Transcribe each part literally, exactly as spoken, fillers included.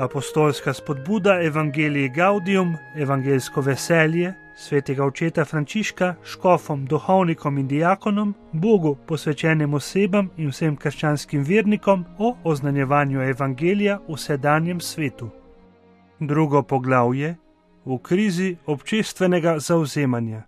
Apostolska spodbuda Evangelii Gaudium, evangeljsko veselje, svetega očeta Frančiška, škofom, duhovnikom in diakonom, Bogu posvečenim osebam in vsem krščanskim vernikom o oznanjevanju evangelija v sedanjem svetu. Drugo poglavje: v krizi občestvenega zavzemanja.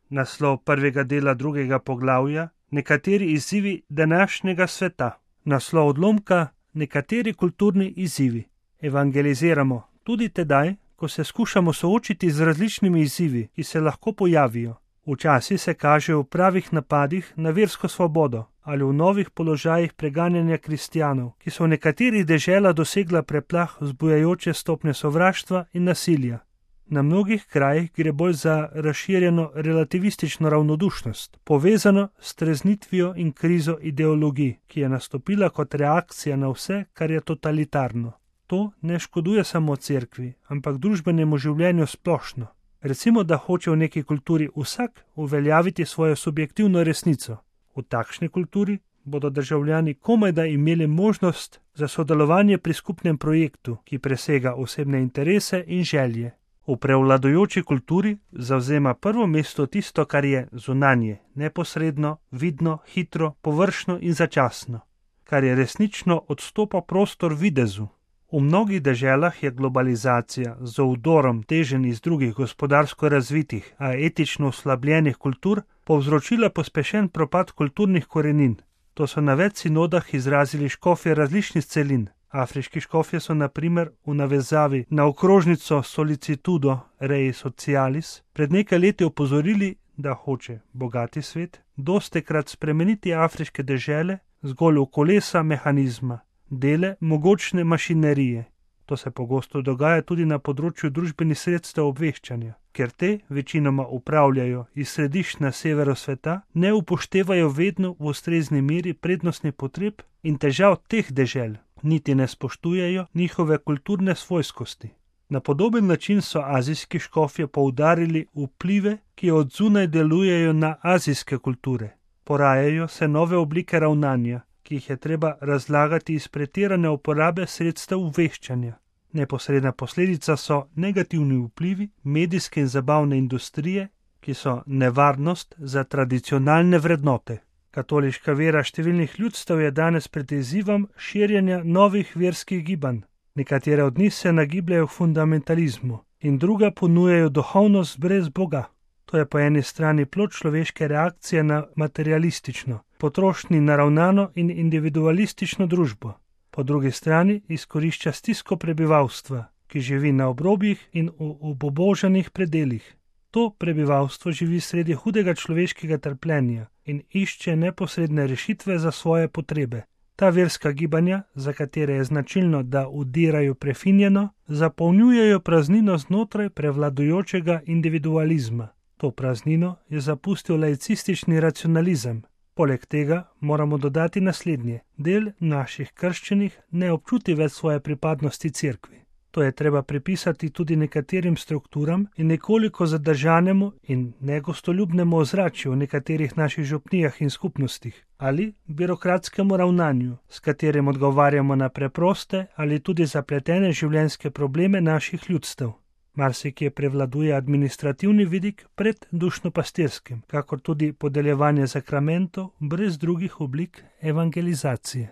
Naslov prvega dela drugega poglavja: nekateri izzivi današnjega sveta. Naslov odlomka: nekateri kulturni izzivi. Evangeliziramo tudi tedaj, ko se skušamo soočiti z različnimi izzivi, ki se lahko pojavijo. Včasih se kažejo v pravih napadih na versko svobodo ali v novih položajih preganjanja kristjanov, ki so v nekaterih deželah dosegla preplah vzbujajoče stopnje sovraštva in nasilja. Na mnogih krajih gre bolj za razširjeno relativistično ravnodušnost, povezano s treznitvijo in krizo ideologij, ki je nastopila kot reakcija na vse, kar je totalitarno. To ne škoduje samo cerkvi, ampak družbenemu življenju splošno. Recimo, da hoče v neki kulturi vsak uveljaviti svojo subjektivno resnico. V takšni kulturi bodo državljani komajda imeli možnost za sodelovanje pri skupnem projektu, ki presega osebne interese in želje. V prevladujoči kulturi zavzema prvo mesto tisto, kar je zunanje, neposredno, vidno, hitro, površno in začasno, kar je resnično odstopa prostor videzu. V mnogih deželah je globalizacija z vdorom teženj iz drugih gospodarsko razvitih, a etično oslabljenih kultur povzročila pospešen propad kulturnih korenin. To so na več sinodah izrazili škofje različnih celin. Afriški škofje so na primer v navezavi na okrožnico Solicitudo Rei Socialis pred nekaj leti opozorili, da hoče bogati svet dostikrat spremeniti afriške dežele zgolj v kolesa mehanizma, dele mogočne mašinerije. To se pogosto dogaja tudi na področju družbenih sredstev obveščanja, ker te večinoma upravljajo iz središč na severu sveta, ne upoštevajo vedno v ustrezni meri prednostnih potreb in težav teh dežel, niti ne spoštujejo njihove kulturne svojskosti. Na podoben način so azijski škofje poudarili vplive, ki od zunaj delujejo na azijske kulture. Porajajo se nove oblike ravnanja, ki jih je treba razlagati iz pretirane uporabe sredstev obveščanja. Neposredna posledica so negativni vplivi medijske in zabavne industrije, ki so nevarnost za tradicionalne vrednote. Katoliška vera številnih ljudstev je danes pred izzivom širjenja novih verskih gibanj. Nekatere od njih se nagibljajo v fundamentalizmu in druga ponujajo duhovnost brez Boga. To je po eni strani plod človeške reakcije na materialistično, potrošnji naravnano in individualistično družbo. Po drugi strani izkorišča stisko prebivalstva, ki živi na obrobjih in v obubožanih predelih. To prebivalstvo živi sredi hudega človeškega trpljenja in išče neposredne rešitve za svoje potrebe. Ta verska gibanja, za katere je značilno, da udirajo prefinjeno, zapolnjujejo praznino znotraj prevladujočega individualizma. To praznino je zapustil laicistični racionalizem. Poleg tega moramo dodati naslednje: del naših krščenih ne občuti več svoje pripadnosti cerkvi. To je treba pripisati tudi nekaterim strukturam in nekoliko zadržanemu in negostoljubnemu ozračju v nekaterih naših župnijah in skupnostih ali birokratskemu ravnanju, s katerim odgovarjamo na preproste ali tudi zapletene življenjske probleme naših ljudstev. Marsikje prevladuje administrativni vidik pred dušno-pastirskim, kakor tudi podeljevanje sakramentov brez drugih oblik evangelizacije.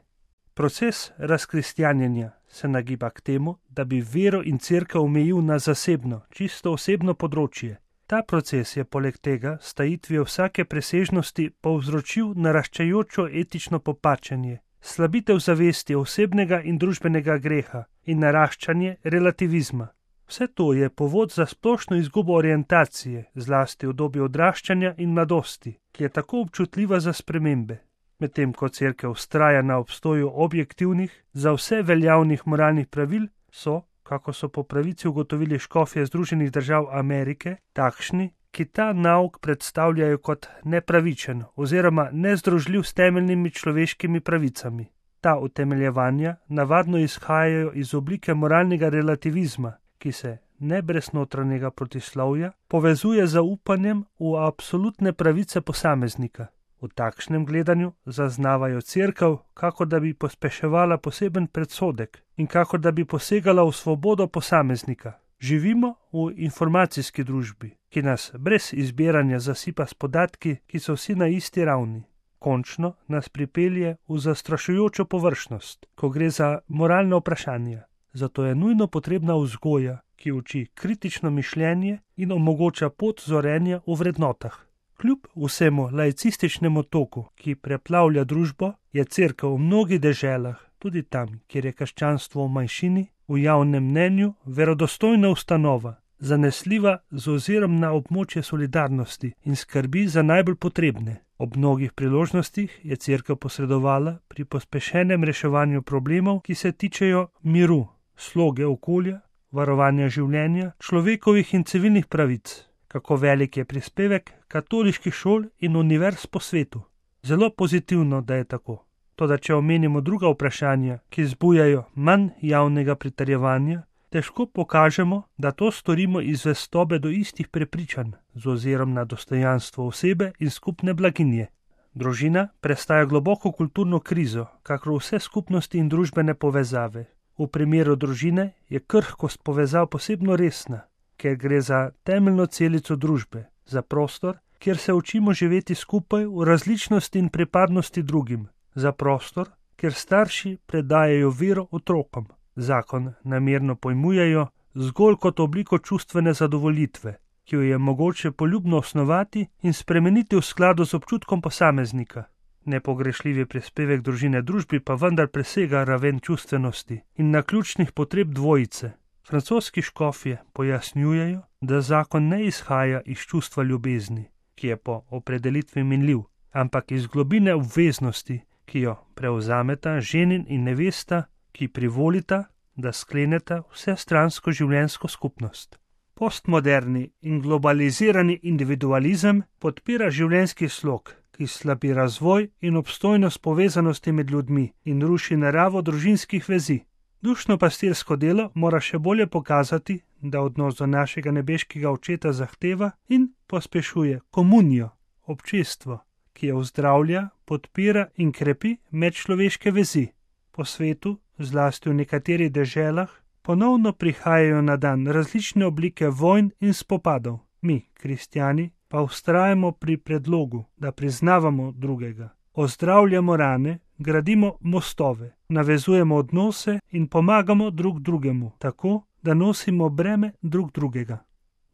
Proces razkristjanjenja se nagiba k temu, da bi vero in cerkev omejil na zasebno, čisto osebno področje. Ta proces je poleg tega s tajitvijo vsake presežnosti povzročil naraščajočo etično popačenje, slabitev zavesti osebnega in družbenega greha in naraščanje relativizma. Vse to je povod za splošno izgubo orientacije, zlasti v dobi odraščanja in mladosti, ki je tako občutljiva za spremembe. Medtem ko cerkev vztraja na obstoju objektivnih, za vse veljavnih moralnih pravil, so, kako so po pravici ugotovili škofje Združenih držav Amerike, takšni, ki ta nauk predstavljajo kot nepravičen oziroma nezdružljiv s temeljnimi človeškimi pravicami. Ta utemeljevanja navadno izhajajo iz oblike moralnega relativizma, ki se, ne brez notranjega protislovja, povezuje z zaupanjem v absolutne pravice posameznika. V takšnem gledanju zaznavajo cerkev, kako da bi pospeševala poseben predsodek in kako da bi posegala v svobodo posameznika. Živimo v informacijski družbi, ki nas brez izbiranja zasipa s podatki, ki so vsi na isti ravni. Končno nas pripelje v zastrašujočo površnost, ko gre za moralne vprašanja. Zato je nujno potrebna vzgoja, ki uči kritično mišljenje in omogoča pot zorenja v vrednotah. Kljub vsemu laicističnemu toku, ki preplavlja družbo, je cerkev v mnogih deželah, tudi tam, kjer je krščanstvo v manjšini, v javnem mnenju verodostojna ustanova, zanesljiva z ozirom na območje solidarnosti in skrbi za najbolj potrebne. Ob mnogih priložnostih je cerkev posredovala pri pospešenem reševanju problemov, ki se tičejo miru, sloge okolja, varovanja življenja, človekovih in civilnih pravic. Kako velik je prispevek katoliških šol in univerz po svetu. Zelo pozitivno, da je tako. Toda če omenimo druga vprašanja, ki zbujajo manj javnega pritrjevanja, težko pokažemo, da to storimo iz zvestobe do istih prepričanj, z ozirom na dostojanstvo osebe in skupne blaginje. Družina prestaja globoko kulturno krizo, kakor vse skupnosti in družbene povezave. V primeru družine je krhkost povezav posebno resna, ker gre za temeljno celico družbe, za prostor, kjer se učimo živeti skupaj v različnosti in pripadnosti drugim, za prostor, kjer starši predajajo vero otrokom. Zakon namerno pojmujejo zgolj kot obliko čustvene zadovoljitve, ki jo je mogoče poljubno osnovati in spremeniti v skladu z občutkom posameznika. Nepogrešljivi prispevek družine družbi pa vendar presega raven čustvenosti in naključnih potreb dvojice. Francoski škofje pojasnjujejo, da zakon ne izhaja iz čustva ljubezni, ki je po opredelitvi minljiv, ampak iz globine obveznosti, ki jo prevzameta ženin in nevesta, ki privolita, da skleneta vsestransko življenjsko skupnost. Postmoderni in globalizirani individualizem podpira življenjski slog, ki slabi razvoj in obstojnost povezanosti med ljudmi in ruši naravo družinskih vezi. Dušno pastirsko delo mora še bolje pokazati, da odnos do našega nebeškega očeta zahteva in pospešuje komunijo, občestvo, ki jo ozdravlja, podpira in krepi medčloveške vezi. Po svetu, zlasti v nekaterih deželah, ponovno prihajajo na dan različne oblike vojn in spopadov. Mi, kristjani, pa vztrajamo pri predlogu, da priznavamo drugega, ozdravljamo rane, gradimo mostove, navezujemo odnose in pomagamo drug drugemu, tako, da nosimo breme drug drugega.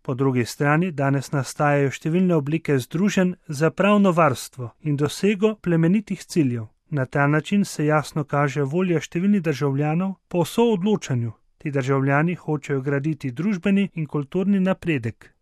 Po drugi strani danes nastajajo številne oblike združenj za pravno varstvo in dosego plemenitih ciljev. Na ta način se jasno kaže volja številnih državljanov po soodločanju. Ti državljani hočejo graditi družbeni in kulturni napredek.